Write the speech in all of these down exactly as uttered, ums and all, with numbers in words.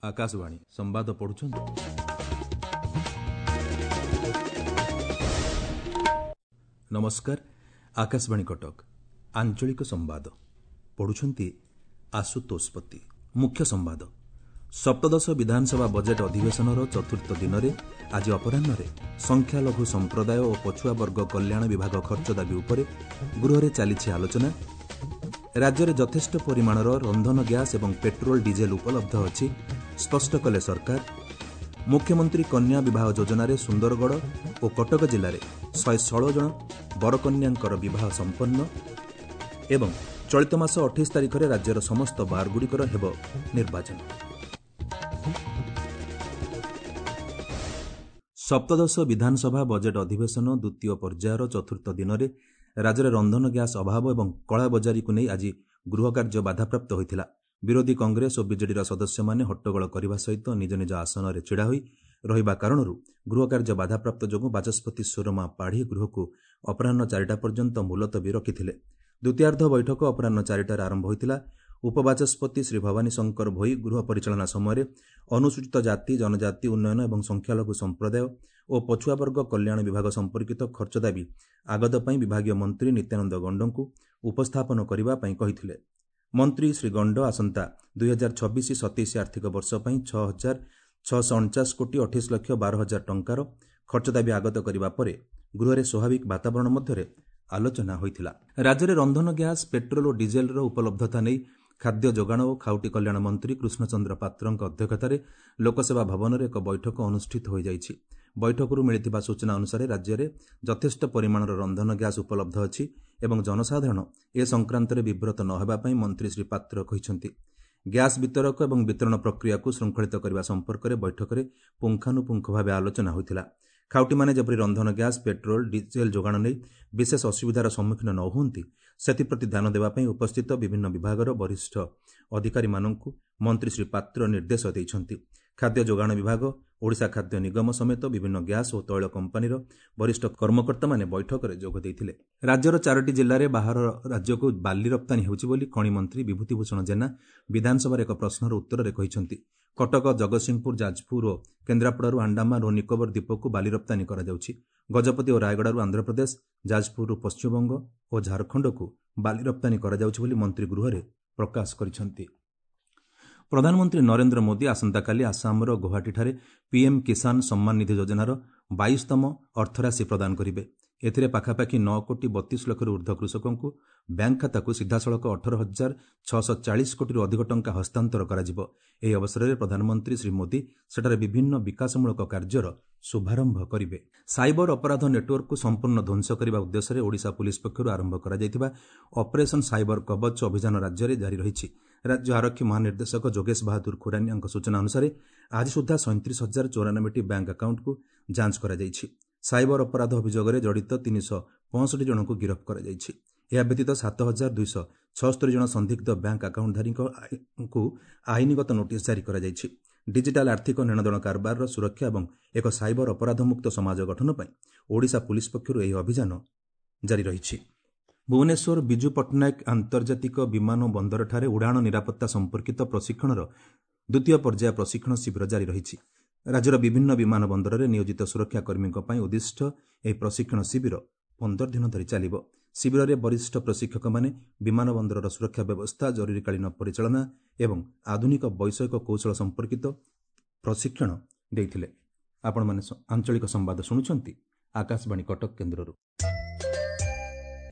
ଆକାଶବାଣୀ ସମ୍ବାଦ ପଢୁଛନ୍ତି ନମସ୍କାର ଆକାଶବାଣୀ କଟକ ଆଞ୍ଚଳିକ ସମ୍ବାଦ ପଢୁଛନ୍ତି ଆଶୁତୋଷ ପତି ମୁଖ୍ୟ ସମ୍ବାଦ ସପ୍ତଦଶ ବିଧାନସଭା ବଜେଟ୍ ଅଧିବେଶନର ଚତୁର୍ଥ ଦିନରେ ଆଜି ଅପରାହ୍ନରେ ସଂଖ୍ୟାଲଘୁ ସମ୍ପ୍ରଦାୟ ଓ ପଛୁଆ ବର୍ଗ କଲ୍ୟାଣ ବିଭାଗ ଖର୍ଚ୍ଚ ଦାବି ଉପରେ ଗୃହରେ ଚାଲିଛି ଆଲୋଚନା ରାଜ୍ୟରେ ଯଥେଷ୍ଟ ପରିମାଣର ରନ୍ଧନ ଗ୍ୟାସ୍ ଏବଂ ପେଟ୍ରୋଲ ଡିଜେଲ ଉପଲବ୍ଧ ଅଛି ସ୍ପଷ୍ଟ କଲେ ସରକାର ମୁଖ୍ୟମନ୍ତ୍ରୀ କନ୍ୟା ବିବାହ ଯୋଜନାରେ ସୁନ୍ଦରଗଡ଼ ଓ କଟକ ଜିଲ୍ଲାରେ ଶହେ ଷୋହଳ ଜଣ ବରକନ୍ୟାଙ୍କର ବିବାହ ସମ୍ପନ୍ନ ଏବଂ ଚଳିତ ମାସ ଅଠେଇଶ ତାରିଖରେ ରାଜ୍ୟର ସମସ୍ତ ବାର୍ଗୁଡ଼ିକର ହେବ ନିର୍ବାଚନ ସପ୍ତଦଶ ବିଧାନସଭା ବଜେଟ୍ ଅଧିବେଶନ ଦ୍ୱିତୀୟ ପର୍ଯ୍ୟାୟର ଚତୁର୍ଥ ଦିନରେ ରାଜ୍ୟରେ ରନ୍ଧନ ଗ୍ୟାସ୍ ଅଭାବ ଏବଂ କଳାବଜାରୀକୁ ନେଇ ଆଜି ଗୃହକାର୍ଯ୍ୟ ବାଧାପ୍ରାପ୍ତ ହୋଇଥିଲା ବିରୋଧୀ କଂଗ୍ରେସ ଓ ବିଜେଡିର ସଦସ୍ୟମାନେ ହଟ୍ଟଗୋଳ କରିବା ସହିତ ନିଜ ନିଜ ଆସନରେ ଛିଡ଼ା ହୋଇ ରହିବା କାରଣରୁ ଗୃହକାର୍ଯ୍ୟ ବାଧାପ୍ରାପ୍ତ ଯୋଗୁଁ ବାଚସ୍ପତି ସୁରମା ପାଢ଼ୀ ଗୃହକୁ ଅପରାହ୍ନ ଚାରିଟା ପର୍ଯ୍ୟନ୍ତ ମୁଲତବୀ ରଖିଥିଲେ ଦ୍ୱିତୀୟାର୍ଦ୍ଧ ବୈଠକ ଅପରାହ୍ନ ଚାରିଟାରେ ଆରମ୍ଭ ହୋଇଥିଲା ଉପବାଚସ୍ପତି ଶ୍ରୀ ଭବାନୀ ଶଙ୍କର ଭୋଇ ଗୃହ ପରିଚାଳନା ସମୟରେ ଅନୁସୂଚିତ ଜାତି ଜନଜାତି ଉନ୍ନୟନ ଏବଂ ସଂଖ୍ୟାଲଘୁ ସମ୍ପ୍ରଦାୟ ଓ ପଛୁଆବର୍ଗ କଲ୍ୟାଣ ବିଭାଗ ସମ୍ପର୍କିତ ଖର୍ଚ୍ଚ ଦାବି ଆଗତ ପାଇଁ ବିଭାଗୀୟ ମନ୍ତ୍ରୀ ନିତ୍ୟାନନ୍ଦ ଗଣ୍ଡଙ୍କୁ ଉପସ୍ଥାପନ କରିବା ପାଇଁ କହିଥିଲେ ମନ୍ତ୍ରୀ ଶ୍ରୀ ଗଣ୍ଡ ଆସନ୍ତା ଦୁଇ ହଜାର ଛବିଶ ସତେଇଶ ଆର୍ଥିକ ବର୍ଷ ପାଇଁ ଛଅ ହଜାର ଛଅଶହ ଅଣଚାଶ କୋଟି ଅଠେଇଶ ଲକ୍ଷ ବାର ହଜାର ଟଙ୍କାର ଖର୍ଚ୍ଚ ଦାବି ଆଗତ କରିବା ପରେ ଗୃହରେ ସ୍ୱାଭାବିକ ବାତାବରଣ ମଧ୍ୟରେ ଆଲୋଚନା ହୋଇଥିଲା ରାଜ୍ୟରେ ରନ୍ଧନ ଗ୍ୟାସ୍ ପେଟ୍ରୋଲ ଓ ଡିଜେଲର ଉପଲବ୍ଧତା ନେଇ ଖାଦ୍ୟ ଯୋଗାଣ ଓ ଖାଉଟି କଲ୍ୟାଣ ମନ୍ତ୍ରୀ କୃଷ୍ଣଚନ୍ଦ୍ର ପାତ୍ରଙ୍କ ଅଧ୍ୟକ୍ଷତାରେ ଲୋକସେବା ଭବନରେ ଏକ ବୈଠକ ଅନୁଷ୍ଠିତ ହୋଇଯାଇଛି ବୈଠକରୁ ମିଳିଥିବା ସୂଚନା ଅନୁସାରେ ରାଜ୍ୟରେ ଯଥେଷ୍ଟ ପରିମାଣର ରନ୍ଧନ ଗ୍ୟାସ୍ ଉପଲବ୍ଧ ଅଛି ଏବଂ ଜନସାଧାରଣ ଏ ସଂକ୍ରାନ୍ତରେ ବିବ୍ରତ ନ ହେବା ପାଇଁ ମନ୍ତ୍ରୀ ଶ୍ରୀ ପାତ୍ର କହିଛନ୍ତି ଗ୍ୟାସ୍ ବିତରକ ଏବଂ ବିତରଣ ପ୍ରକ୍ରିୟାକୁ ଶୃଙ୍ଖଳିତ କରିବା ସମ୍ପର୍କରେ ବୈଠକରେ ପୁଙ୍ଖାନୁପୁଙ୍ଖ ଭାବେ ଆଲୋଚନା ହୋଇଥିଲା ଖାଉଟିମାନେ ଯେପରି ରନ୍ଧନ ଗ୍ୟାସ୍ ପେଟ୍ରୋଲ ଡିଜେଲ ଯୋଗାଣ ନେଇ ବିଶେଷ ଅସୁବିଧାର ସମ୍ମୁଖୀନ ନ ହୁଅନ୍ତି ସେଥିପ୍ରତି ଧ୍ୟାନ ଦେବା ପାଇଁ ଉପସ୍ଥିତ ବିଭିନ୍ନ ବିଭାଗର ବରିଷ୍ଠ ଅଧିକାରୀମାନଙ୍କୁ ମନ୍ତ୍ରୀ ଶ୍ରୀ ପାତ୍ର ନିର୍ଦ୍ଦେଶ ଦେଇଛନ୍ତି ଖାଦ୍ୟ ଯୋଗାଣ ବିଭାଗ ଓଡ଼ିଶା ଖାଦ୍ୟ ନିଗମ ସମେତ ବିଭିନ୍ନ ଗ୍ୟାସ୍ ଓ ତୈଳ କମ୍ପାନୀର ବରିଷ୍ଠ କର୍ମକର୍ତ୍ତାମାନେ ବୈଠକରେ ଯୋଗ ଦେଇଥିଲେ ରାଜ୍ୟର ଚାରୋଟି ଜିଲ୍ଲାରେ ବାହାର ରାଜ୍ୟକୁ ବାଲି ରପ୍ତାନୀ ହେଉଛି ବୋଲି ଖଣି ମନ୍ତ୍ରୀ ବିଭୂତିଭୂଷଣ ଜେନା ବିଧାନସଭାରେ ଏକ ପ୍ରଶ୍ନର ଉତ୍ତରରେ କହିଛନ୍ତି କଟକ ଜଗତସିଂହପୁର ଯାଜପୁର ଓ କେନ୍ଦ୍ରାପଡ଼ାରୁ ଆଣ୍ଡାମାନ ଓ ନିକୋବର ଦ୍ୱୀପକୁ ବାଲି ରପ୍ତାନୀ କରାଯାଉଛି ଗଜପତି ଓ ରାୟଗଡ଼ାରୁ ଆନ୍ଧ୍ରପ୍ରଦେଶ ଯାଜପୁରରୁ ପଶ୍ଚିମବଙ୍ଗ ଓ ଝାଡ଼ଖଣ୍ଡକୁ ବାଲି ରପ୍ତାନୀ କରାଯାଉଛି ବୋଲି ମନ୍ତ୍ରୀ ଗୃହରେ ପ୍ରକାଶ କରିଛନ୍ତି ପ୍ରଧାନମନ୍ତ୍ରୀ ନରେନ୍ଦ୍ର ମୋଦି ଆସନ୍ତାକାଲି ଆସାମର ଗୌହାଟୀଠାରେ ପିଏମ୍ କିଷାନ ସମ୍ମାନ ନିଧି ଯୋଜନାର ବାଇଶତମ ଅର୍ଥରାଶି ପ୍ରଦାନ କରିବେ ଏଥିରେ ପାଖାପାଖି ନଅ କୋଟି ବତିଶ ଲକ୍ଷରୁ ଉର୍ଦ୍ଧ୍ୱ କୃଷକଙ୍କୁ ବ୍ୟାଙ୍କ ଖାତାକୁ ସିଧାସଳଖ ଅଠର ହଜାର ଛଅଶହ ଚାଳିଶ କୋଟିରୁ ଅଧିକ ଟଙ୍କା ହସ୍ତାନ୍ତର କରାଯିବ ଏହି ଅବସରରେ ପ୍ରଧାନମନ୍ତ୍ରୀ ଶ୍ରୀ ମୋଦି ସେଠାରେ ବିଭିନ୍ନ ବିକାଶମୂଳକ କାର୍ଯ୍ୟର ଶୁଭାରମ୍ଭ କରିବେ ସାଇବର ଅପରାଧ ନେଟୱାର୍କକୁ ସମ୍ପୂର୍ଣ୍ଣ ଧ୍ୱଂସ କରିବା ଉଦ୍ଦେଶ୍ୟରେ ଓଡ଼ିଶା ପୁଲିସ୍ ପକ୍ଷରୁ ଆରମ୍ଭ କରାଯାଇଥିବା ଅପରେସନ୍ ସାଇବର କବଚ ଅଭିଯାନ ରାଜ୍ୟରେ ଜାରି ରହିଛି ରାଜ୍ୟ ଆରକ୍ଷୀ ମହାନିର୍ଦ୍ଦେଶକ ଯୋଗେଶ ବାହାଦୁର ଖୁରାନିଆଙ୍କ ସୂଚନା ଅନୁସାରେ ଆଜି ସୁଦ୍ଧା ସଇଁତିରିଶ ହଜାର ଚଉରାନବେଟି ବ୍ୟାଙ୍କ ଆକାଉଣ୍ଟକୁ ଯାଞ୍ଚ କରାଯାଇଛି ସାଇବର ଅପରାଧ ଅଭିଯୋଗରେ ଜଡ଼ିତ ତିନିଶହ ପଞ୍ଚଷଠି ଜଣଙ୍କୁ ଗିରଫ କରାଯାଇଛି ଏହା ବ୍ୟତୀତ ସାତ ହଜାର ଦୁଇଶହ ଛଅସ୍ତରୀ ଜଣ ସନ୍ଦିଗ୍ଧ ବ୍ୟାଙ୍କ ଆକାଉଣ୍ଟଧାରୀଙ୍କୁ ଆଇନଗତ ନୋଟିସ୍ ଜାରି କରାଯାଇଛି ଡିଜିଟାଲ ଆର୍ଥିକ ନେଣଦେଣ କାରବାରର ସୁରକ୍ଷା ଏବଂ ଏକ ସାଇବର ଅପରାଧମୁକ୍ତ ସମାଜ ଗଠନ ପାଇଁ ଓଡ଼ିଶା ପୁଲିସ୍ ପକ୍ଷରୁ ଏହି ଅଭିଯାନ ଜାରି ରହିଛି ଭୁବନେଶ୍ୱର ବିଜୁ ପଟ୍ଟନାୟକ ଆନ୍ତର୍ଜାତିକ ବିମାନ ବନ୍ଦରଠାରେ ଉଡ଼ାଣ ନିରାପତ୍ତା ସମ୍ପର୍କିତ ପ୍ରଶିକ୍ଷଣର ଦ୍ୱିତୀୟ ପର୍ଯ୍ୟାୟ ପ୍ରଶିକ୍ଷଣ ଶିବିର ଜାରି ରହିଛି ରାଜ୍ୟର ବିଭିନ୍ନ ବିମାନ ବନ୍ଦରରେ ନିୟୋଜିତ ସୁରକ୍ଷା କର୍ମୀଙ୍କ ପାଇଁ ଉଦ୍ଦିଷ୍ଟ ଏହି ପ୍ରଶିକ୍ଷଣ ଶିବିର ପନ୍ଦର ଦିନ ଧରି ଚାଲିବ ଶିବିରରେ ବରିଷ୍ଠ ପ୍ରଶିକ୍ଷକମାନେ ବିମାନ ବନ୍ଦରର ସୁରକ୍ଷା ବ୍ୟବସ୍ଥା ଜରୁରୀକାଳୀନ ପରିଚାଳନା ଏବଂ ଆଧୁନିକ ବୈଷୟିକ କୌଶଳ ସମ୍ପର୍କିତ ପ୍ରଶିକ୍ଷଣ ଦେଇଥିଲେ ଆପଣମାନେ ଆଞ୍ଚଳିକ ସମ୍ବାଦ ଶୁଣୁଛନ୍ତି ଆକାଶବାଣୀ କଟକ କେନ୍ଦ୍ରରୁ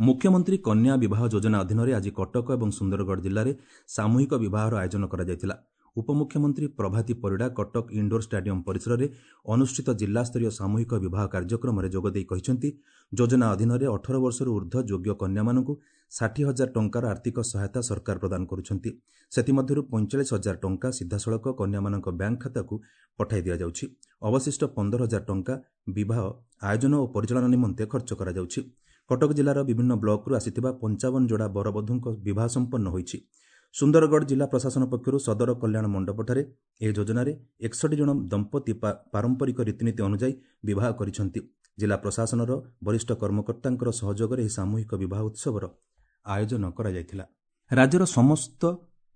ମୁଖ୍ୟମନ୍ତ୍ରୀ କନ୍ୟା ବିବାହ ଯୋଜନା ଅଧୀନରେ ଆଜି କଟକ ଏବଂ ସୁନ୍ଦରଗଡ଼ ଜିଲ୍ଲାରେ ସାମୂହିକ ବିବାହର ଆୟୋଜନ କରାଯାଇଥିଲା ଉପମୁଖ୍ୟମନ୍ତ୍ରୀ ପ୍ରଭାତୀ ପରିଡ଼ା କଟକ ଇଣ୍ଡୋର ଷ୍ଟାଡିୟମ ପରିସରରେ ଅନୁଷ୍ଠିତ ଜିଲ୍ଲାସ୍ତରୀୟ ସାମୂହିକ ବିବାହ କାର୍ଯ୍ୟକ୍ରମରେ ଯୋଗଦେଇ କହିଛନ୍ତି ଯୋଜନା ଅଧୀନରେ ଅଠର ବର୍ଷରୁ ଉର୍ଦ୍ଧ୍ୱ ଯୋଗ୍ୟ କନ୍ୟାମାନଙ୍କୁ ଷାଠିଏ ହଜାର ଟଙ୍କାର ଆର୍ଥିକ ସହାୟତା ସରକାର ପ୍ରଦାନ କରୁଛନ୍ତି ସେଥିମଧ୍ୟରୁ ପଇଁଚାଳିଶ ହଜାର ଟଙ୍କା ସିଧାସଳଖ କନ୍ୟାମାନଙ୍କ ବ୍ୟାଙ୍କ ଖାତାକୁ ପଠାଇ ଦିଆଯାଉଛି ଅବଶିଷ୍ଟ ପନ୍ଦର ହଜାର ଟଙ୍କା ବିବାହ ଆୟୋଜନ ଓ ପରିଚାଳନା ନିମନ୍ତେ ଖର୍ଚ୍ଚ କରାଯାଉଛି କଟକ ଜିଲ୍ଲାର ବିଭିନ୍ନ ବ୍ଲକରୁ ଆସିଥିବା ପଞ୍ଚାବନ ଯୋଡ଼ା ବରବଧୂଙ୍କ ବିବାହ ସମ୍ପନ୍ନ ହୋଇଛି ସୁନ୍ଦରଗଡ଼ ଜିଲ୍ଲା ପ୍ରଶାସନ ପକ୍ଷରୁ ସଦର କଲ୍ୟାଣ ମଣ୍ଡପଠାରେ ଏହି ଯୋଜନାରେ ଏକଷଠି ଜଣ ଦମ୍ପତି ପାରମ୍ପରିକ ରୀତିନୀତି ଅନୁଯାୟୀ ବିବାହ କରିଛନ୍ତି ଜିଲ୍ଲା ପ୍ରଶାସନର ବରିଷ୍ଠ କର୍ମକର୍ତ୍ତାଙ୍କର ସହଯୋଗରେ ଏହି ସାମୂହିକ ବିବାହ ଉତ୍ସବର ଆୟୋଜନ କରାଯାଇଥିଲା। ରାଜ୍ୟର ସମସ୍ତ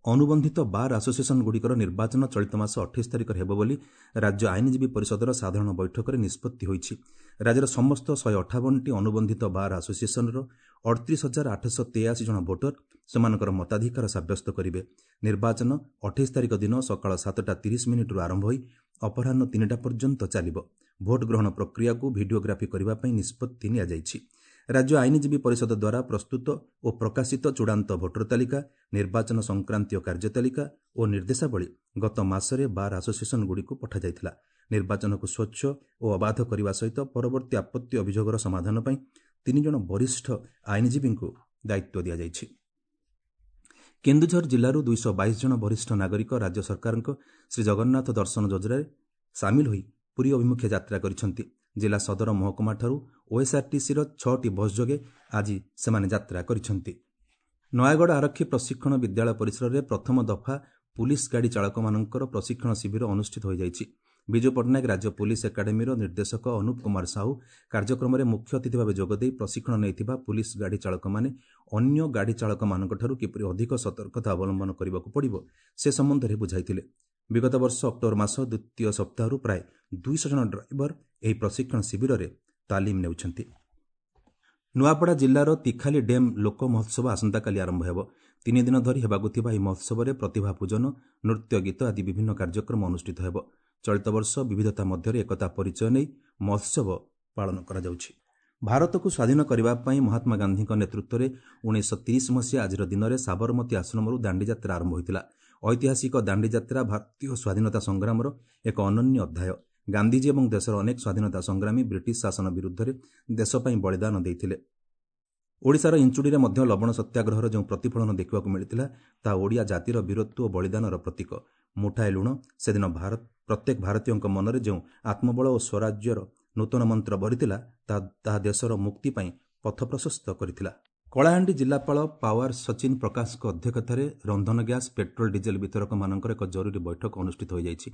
ଅନୁବନ୍ଧିତ ବାର୍ ଆସୋସିଏସନ୍ଗୁଡ଼ିକର ନିର୍ବାଚନ ଚଳିତ ମାସ ଅଠେଇଶ ତାରିଖରେ ହେବ ବୋଲି ରାଜ୍ୟ ଆଇନଜୀବୀ ପରିଷଦର ସାଧାରଣ ବୈଠକରେ ନିଷ୍ପତ୍ତି ହୋଇଛି। ରାଜ୍ୟର ସମସ୍ତ ଶହେ ଅଠାବନଟି ଅନୁବନ୍ଧିତ ବାର୍ ଆସୋସିଏସନ୍ର ଅଠତିରିଶ ହଜାର ଆଠଶହ ତେୟାଅଶୀ ଜଣ ଭୋଟର ସେମାନଙ୍କର ମତାଧିକାର ସାବ୍ୟସ୍ତ କରିବେ। ନିର୍ବାଚନ ଅଠେଇଶ ତାରିଖ ଦିନ ସକାଳ ସାତଟା ତିରିଶ ମିନିଟ୍ରୁ ଆରମ୍ଭ ହୋଇ ଅପରାହ୍ନ ତିନିଟା ପର୍ଯ୍ୟନ୍ତ ଚାଲିବ। ଭୋଟ ଗ୍ରହଣ ପ୍ରକ୍ରିୟାକୁ ଭିଡିଓଗ୍ରାଫି କରିବା ପାଇଁ ନିଷ୍ପତ୍ତି ନିଆଯାଇଛି। ରାଜ୍ୟ ଆଇନଜୀବୀ ପରିଷଦ ଦ୍ୱାରା ପ୍ରସ୍ତୁତ ଓ ପ୍ରକାଶିତ ଚୂଡ଼ାନ୍ତ ଭୋଟର ତାଲିକା, ନିର୍ବାଚନ ସଂକ୍ରାନ୍ତୀୟ କାର୍ଯ୍ୟତାଲିକା ଓ ନିର୍ଦ୍ଦେଶାବଳୀ ଗତ ମାସରେ ବାର୍ ଆସୋସିଏସନ୍ଗୁଡ଼ିକୁ ପଠାଯାଇଥିଲା। ନିର୍ବାଚନକୁ ସ୍ୱଚ୍ଛ ଓ ଅବାଧ କରିବା ସହିତ ପରବର୍ତ୍ତୀ ଆପତ୍ତି ଅଭିଯୋଗର ସମାଧାନ ପାଇଁ ତିନି ଜଣ ବରିଷ୍ଠ ଆଇନଜୀବୀଙ୍କୁ ଦାୟିତ୍ୱ ଦିଆଯାଇଛି। କେନ୍ଦୁଝର ଜିଲ୍ଲାରୁ ଦୁଇଶହ ବାଇଶ ଜଣ ବରିଷ୍ଠ ନାଗରିକ ରାଜ୍ୟ ସରକାରଙ୍କ ଶ୍ରୀଜଗନ୍ନାଥ ଦର୍ଶନ ଯୋଜନାରେ ସାମିଲ ହୋଇ ପୁରୀ ଅଭିମୁଖେ ଯାତ୍ରା କରିଛନ୍ତି। ଜିଲ୍ଲା ସଦର ମହକୁମାଠାରୁ ଓଏସ୍ଆର୍ଟିସିର ଛଅଟି ବସ୍ ଯୋଗେ ଆଜି ସେମାନେ ଯାତ୍ରା କରିଛନ୍ତି। ନୟାଗଡ଼ ଆରକ୍ଷୀ ପ୍ରଶିକ୍ଷଣ ବିଦ୍ୟାଳୟ ପରିସରରେ ପ୍ରଥମ ଦଫା ପୁଲିସ ଗାଡ଼ି ଚାଳକମାନଙ୍କର ପ୍ରଶିକ୍ଷଣ ଶିବିର ଅନୁଷ୍ଠିତ ହୋଇଯାଇଛି। ବିଜୁ ପଟ୍ଟନାୟକ ରାଜ୍ୟ ପୁଲିସ ଏକାଡେମୀର ନିର୍ଦ୍ଦେଶକ ଅନୁପ କୁମାର ସାହୁ କାର୍ଯ୍ୟକ୍ରମରେ ମୁଖ୍ୟ ଅତିଥି ଭାବେ ଯୋଗଦେଇ ପ୍ରଶିକ୍ଷଣ ନେଇଥିବା ପୁଲିସ ଗାଡ଼ି ଚାଳକମାନେ ଅନ୍ୟ ଗାଡ଼ି ଚାଳକମାନଙ୍କଠାରୁ କିପରି ଅଧିକ ସତର୍କତା ଅବଲମ୍ବନ କରିବାକୁ ପଡ଼ିବ ସେ ସମ୍ବନ୍ଧରେ ବୁଝାଇଥିଲେ। ବିଗତ ବର୍ଷ ଅକ୍ଟୋବର ମାସ ଦ୍ୱିତୀୟ ସପ୍ତାହରୁ ପ୍ରାୟ ଦୁଇଶହ ଜଣ ଡ୍ରାଇଭର ଏହି ପ୍ରଶିକ୍ଷଣ ଶିବିରରେ ତାଲିମ ନେଉଛନ୍ତି। ନୂଆପଡ଼ା ଜିଲ୍ଲାର ତିଖାଲି ଡ୍ୟାମ୍ ଲୋକ ମହୋତ୍ସବ ଆସନ୍ତାକାଲି ଆରମ୍ଭ ହେବ। ତିନି ଦିନ ଧରି ହେବାକୁ ଥିବା ଏହି ମହୋତ୍ସବରେ ପ୍ରତିଭା ପୂଜନ, ନୃତ୍ୟ ଗୀତ ଆଦି ବିଭିନ୍ନ କାର୍ଯ୍ୟକ୍ରମ ଅନୁଷ୍ଠିତ ହେବ। ଚଳିତ ବର୍ଷ ବିବିଧତା ମଧ୍ୟରେ ଏକତା ପରିଚୟ ନେଇ ମହୋତ୍ସବ ପାଳନ କରାଯାଉଛି। ଭାରତକୁ ସ୍ୱାଧୀନ କରିବା ପାଇଁ ମହାତ୍ମା ଗାନ୍ଧୀଙ୍କ ନେତୃତ୍ୱରେ ଉଣେଇଶହ ତିରିଶ ମସିହା ଆଜିର ଦିନରେ ସାବରମତୀ ଆଶ୍ରମରୁ ଦାଣ୍ଡିଯାତ୍ରା ଆରମ୍ଭ ହୋଇଥିଲା। ଐତିହାସିକ ଦାଣ୍ଡିଯାତ୍ରା ଭାରତୀୟ ସ୍ୱାଧୀନତା ସଂଗ୍ରାମର ଏକ ଅନନ୍ୟ ଅଧ୍ୟାୟ। ଗାନ୍ଧିଜୀ ଏବଂ ଦେଶର ଅନେକ ସ୍ୱାଧୀନତା ସଂଗ୍ରାମୀ ବ୍ରିଟିଶ ଶାସନ ବିରୁଦ୍ଧରେ ଦେଶ ପାଇଁ ବଳିଦାନ ଦେଇଥିଲେ। ଓଡ଼ିଶାର ଇଞ୍ଚୁଡ଼ିରେ ମଧ୍ୟ ଲବଣ ସତ୍ୟାଗ୍ରହର ଯେଉଁ ପ୍ରତିଫଳନ ଦେଖିବାକୁ ମିଳିଥିଲା, ତାହା ଓଡ଼ିଆ ଜାତିର ବୀରତ୍ୱ ଓ ବଳିଦାନର ପ୍ରତୀକ। ମୁଠାଏ ଲୁଣ ସେଦିନ ଭାରତ ପ୍ରତ୍ୟେକ ଭାରତୀୟଙ୍କ ମନରେ ଯେଉଁ ଆତ୍ମବଳ ଓ ସ୍ୱରାଜ୍ୟର ନୂତନ ମନ୍ତ୍ର ଭରିଥିଲା, ତାହା ତାହା ଦେଶର ମୁକ୍ତି ପାଇଁ ପଥ ପ୍ରଶସ୍ତ କରିଥିଲା। କଳାହାଣ୍ଡି ଜିଲ୍ଲାପାଳ ପାୱାର ସଚିନ ପ୍ରକାଶଙ୍କ ଅଧ୍ୟକ୍ଷତାରେ ରନ୍ଧନ ଗ୍ୟାସ୍, ପେଟ୍ରୋଲ, ଡିଜେଲ ବିତରକମାନଙ୍କର ଏକ ଜରୁରୀ ବୈଠକ ଅନୁଷ୍ଠିତ ହୋଇଯାଇଛି।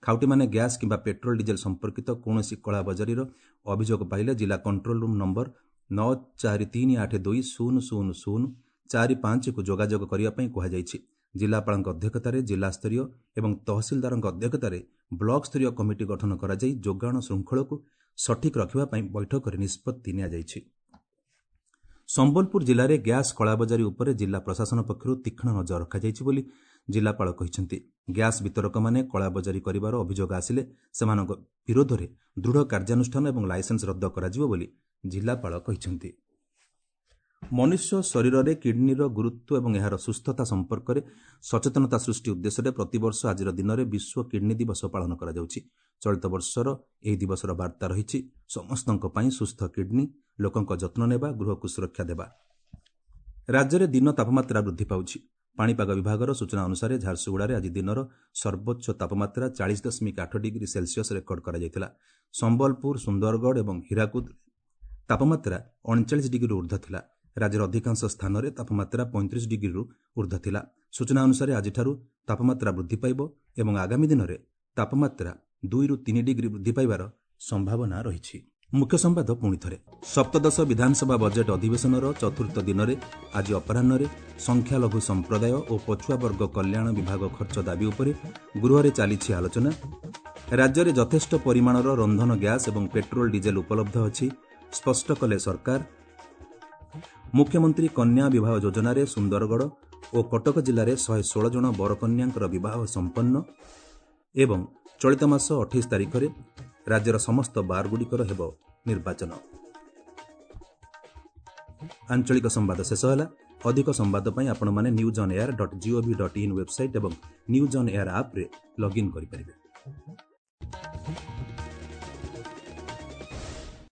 ଖାଉଟିମାନେ ଗ୍ୟାସ୍ କିମ୍ବା ପେଟ୍ରୋଲ ଡିଜେଲ ସମ୍ପର୍କିତ କୌଣସି କଳାବଜାରୀର ଅଭିଯୋଗ ପାଇଲେ ଜିଲ୍ଲା କଣ୍ଟ୍ରୋଲ ରୁମ୍ ନମ୍ବର ନଅ ଚାରି ତିନି ଆଠ ଦୁଇ ଶୂନ ଶୂନ ଶୂନ ଚାରି ପାଞ୍ଚକୁ ଯୋଗାଯୋଗ କରିବା ପାଇଁ କୁହାଯାଇଛି। ଜିଲ୍ଲାପାଳଙ୍କ ଅଧ୍ୟକ୍ଷତାରେ ଜିଲ୍ଲାସ୍ତରୀୟ ଏବଂ ତହସିଲଦାରଙ୍କ ଅଧ୍ୟକ୍ଷତାରେ ବ୍ଲକ ସ୍ତରୀୟ କମିଟି ଗଠନ କରାଯାଇ ଯୋଗାଣ ଶୃଙ୍ଖଳକୁ ସଠିକ୍ ରଖିବା ପାଇଁ ବୈଠକରେ ନିଷ୍ପତ୍ତି ନିଆଯାଇଛି। ସମ୍ବଲପୁର ଜିଲ୍ଲାରେ ଗ୍ୟାସ୍ କଳାବଜାରୀ ଉପରେ ଜିଲ୍ଲା ପ୍ରଶାସନ ପକ୍ଷରୁ ତୀକ୍ଷ୍ଣ ନଜର ରଖାଯାଇଛି ବୋଲି ଜିଲ୍ଲାପାଳ କହିଛନ୍ତି। ଗ୍ୟାସ୍ ବିତରକମାନେ କଳାବଜାରୀ କରିବାର ଅଭିଯୋଗ ଆସିଲେ ସେମାନଙ୍କ ବିରୋଧରେ ଦୃଢ଼ କାର୍ଯ୍ୟାନୁଷ୍ଠାନ ଏବଂ ଲାଇସେନ୍ସ ରଦ୍ଦ କରାଯିବ ବୋଲି ଜିଲ୍ଲାପାଳ କହିଛନ୍ତି। ମନୁଷ୍ୟ ଶରୀରରେ କିଡ୍ନିର ଗୁରୁତ୍ୱ ଏବଂ ଏହାର ସୁସ୍ଥତା ସମ୍ପର୍କରେ ସଚେତନତା ସୃଷ୍ଟି ଉଦ୍ଦେଶ୍ୟରେ ପ୍ରତିବର୍ଷ ଆଜିର ଦିନରେ ବିଶ୍ୱ କିଡ୍ନି ଦିବସ ପାଳନ କରାଯାଉଛି। ଚଳିତ ବର୍ଷର ଏହି ଦିବସର ବାର୍ତ୍ତା ରହିଛି ସମସ୍ତଙ୍କ ପାଇଁ ସୁସ୍ଥ କିଡ୍ନି, ଲୋକଙ୍କ ଯତ୍ନ ନେବା, ଗୃହକୁ ସୁରକ୍ଷା ଦେବା। ରାଜ୍ୟରେ ଦିନ ତାପମାତ୍ରା ବୃଦ୍ଧି ପାଉଛି। ପାଣିପାଗ ବିଭାଗର ସୂଚନା ଅନୁସାରେ ଝାରସୁଗୁଡ଼ାରେ ଆଜି ଦିନର ସର୍ବୋଚ୍ଚ ତାପମାତ୍ରା ଚାଳିଶ ଦଶମିକ ଆଠ ଡିଗ୍ରୀ ସେଲସିୟସ୍ ରେକର୍ଡ କରାଯାଇଥିଲା। ସମ୍ବଲପୁର, ସୁନ୍ଦରଗଡ଼ ଏବଂ ହୀରାକୁଦ ତାପମାତ୍ରା ଅଣଚାଳିଶ ଡିଗ୍ରୀରୁ ଉର୍ଦ୍ଧ୍ୱ ଥିଲା। ରାଜ୍ୟର ଅଧିକାଂଶ ସ୍ଥାନରେ ତାପମାତ୍ରା ପଇଁତିରିଶ ଡିଗ୍ରୀରୁ ଉର୍ଦ୍ଧ୍ୱ ଥିଲା। ସୂଚନା ଅନୁସାରେ ଆଜିଠାରୁ ତାପମାତ୍ରା ବୃଦ୍ଧି ପାଇବ ଏବଂ ଆଗାମୀ ଦିନରେ ତାପମାତ୍ରା ଦୁଇରୁ ତିନି ଡିଗ୍ରୀ ବୃଦ୍ଧି ପାଇବାର ସମ୍ଭାବନା ରହିଛି। ମୁଖ୍ୟ ସମ୍ବାଦ ପୁଣି ଥରେ। ସପ୍ତଦଶ ବିଧାନସଭା ବଜେଟ୍ ଅଧିବେଶନର ଚତୁର୍ଥ ଦିନରେ ଆଜି ଅପରାହ୍ନରେ ସଂଖ୍ୟାଲଘୁ ସମ୍ପ୍ରଦାୟ ଓ ପଛୁଆ ବର୍ଗ କଲ୍ୟାଣ ବିଭାଗ ଖର୍ଚ୍ଚ ଦାବି ଉପରେ ଗୃହରେ ଚାଲିଛି ଆଲୋଚନା। ରାଜ୍ୟରେ ଯଥେଷ୍ଟ ପରିମାଣର ରନ୍ଧନ ଗ୍ୟାସ୍ ଏବଂ ପେଟ୍ରୋଲ ଡିଜେଲ ଉପଲବ୍ଧ ଅଛି, ସ୍ପଷ୍ଟ କଲେ ସରକାର। ମୁଖ୍ୟମନ୍ତ୍ରୀ କନ୍ୟା ବିବାହ ଯୋଜନାରେ ସୁନ୍ଦରଗଡ଼ ଓ କଟକ ଜିଲ୍ଲାରେ ଶହେ ଷୋହଳ ଜଣ ବରକନ୍ୟାଙ୍କର ବିବାହ ସମ୍ପନ୍ନ ଏବଂ ଚଳିତ ମାସ ଅଠେଇଶ ତାରିଖରେ ରାଜ୍ୟର ସମସ୍ତ ବାର୍ଗୁଡ଼ିକର ହେବ ନିର୍ବାଚନ। ଆଞ୍ଚଳିକ ସମ୍ବାଦ ଶେଷ ହେଲା। ଅଧିକ ସମ୍ବାଦ ପାଇଁ ଆପଣମାନେ news on air dot gov dot in website ଏବଂ ନ୍ୟୁଜ୍ ଅନ୍ ଏୟାର ଆପ୍ରେ ଲଗ୍ଇନ୍ କରିପାରିବେ।